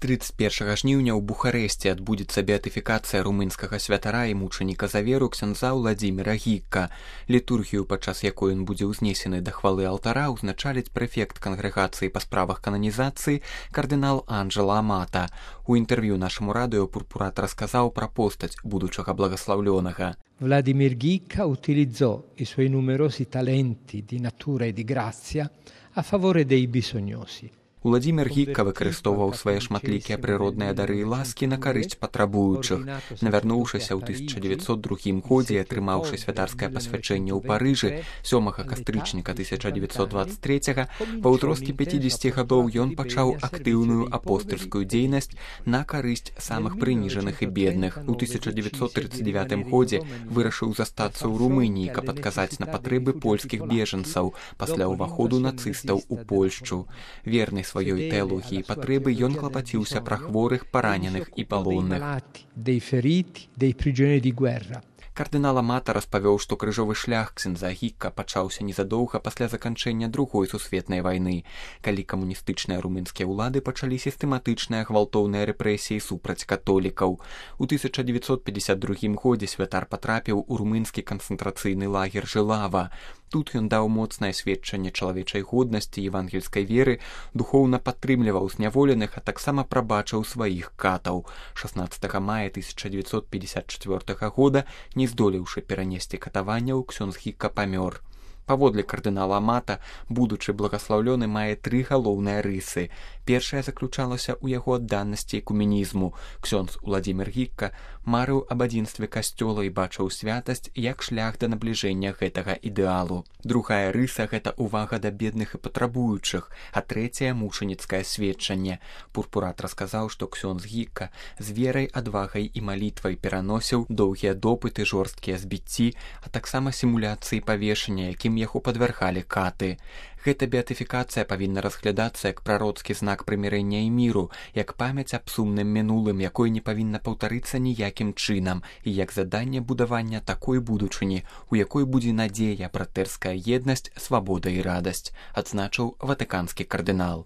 31 жніўня ў Бухарэсці адбудзецца беатыфікацыя румынскага святара і мучаніка за веру ксяндза Уладзіміра Гікка. Літургію, падчас якой ён будзе ўзнесены да хвалы алтара, узначаліць прэфект кангрэгацыі па справах кананізацыі кардынал Анджело Амата. У інтэрв'ю нашаму радыё Пурпурат расказаў пра постаць будучага благаслаўлёнага. Vladimir Ghicca utilizzò i suoi numerosi talenti di natura e di grazia a favore dei bisognosi. Уладзімір Гікка выкарыстоўваў свае шматлікія прыродныя дары і ласкі на карысць патрабуючых. Навярнуўшыся ў 1902 годзе і атрымаўшы святарскае пасвячэнне ў Парыжы 7 кастрычніка 1923, па ўзросце 50 гадоў ён пачаў актыўную апостальскую дзейнасць на карысць самых прыніжаных і бедных. У 1939 годзе вырашыў застацца ў Румыніі, каб адказаць на патрэбы польскіх бежанцаў пасля ўваходу нацыстаў у Польшчу. Верны сваёй тэалогіі і патрэбы ён клапаціўся пра хворых, параненых і палонных. Кардынал Амата распавёў, што крыжовы шлях ксяндза Гікка пачаўся незадоўга пасля заканчэння Другой сусветнай вайны, калі камуністычныя румынскія ўлады пачалі сістэматычныя гвалтоўныя рэпрэсіі супраць католікаў. У 1952 годзе святар патрапіў у румынскі канцэнтрацыйны лагер Жылава. Тут ён даў моцнае сведчанне чалавечай годнасці і евангельскай веры, духоўна падтрымліваў зняволеных, а таксама прабачыў сваіх катаў. 16 мая 1954 года, не здолеўшы перанесці катаванняў, ксёндз Гікка памёр. Паводле кардынала Амата, будучы благаслаўлёны мае 3 галоўныя рысы. Першая заключалася ў яго адданасці экуменізму. Ксёндз Уладзімір Гікка марыў аб адзінстве касцёла і бачыў святасць як шлях да набліжэння гэтага ідэалу. Другая рыса – гэта ўвага да бедных і патрабуючых, а трэцяе – мучаніцкае сведчанне. Пурпурат расказаў, што ксёндз Гікка з верай, адвагай і малітвай пераносіў доўгія допыты, жорсткія збіцці, а таксама сімуляцыі павешання, якім яго падвяргалі каты. Гэта беатыфікацыя павінна разглядацца як прароцкі знак прымірэння і міру, як памяць аб сумным мінулым, якой не павінна паўтарыцца ніякім чынам, і як заданне будавання такой будучыні, у якой будзе надзея, братэрская еднасць, свабода і радасць, адзначыў ватыканскі кардынал.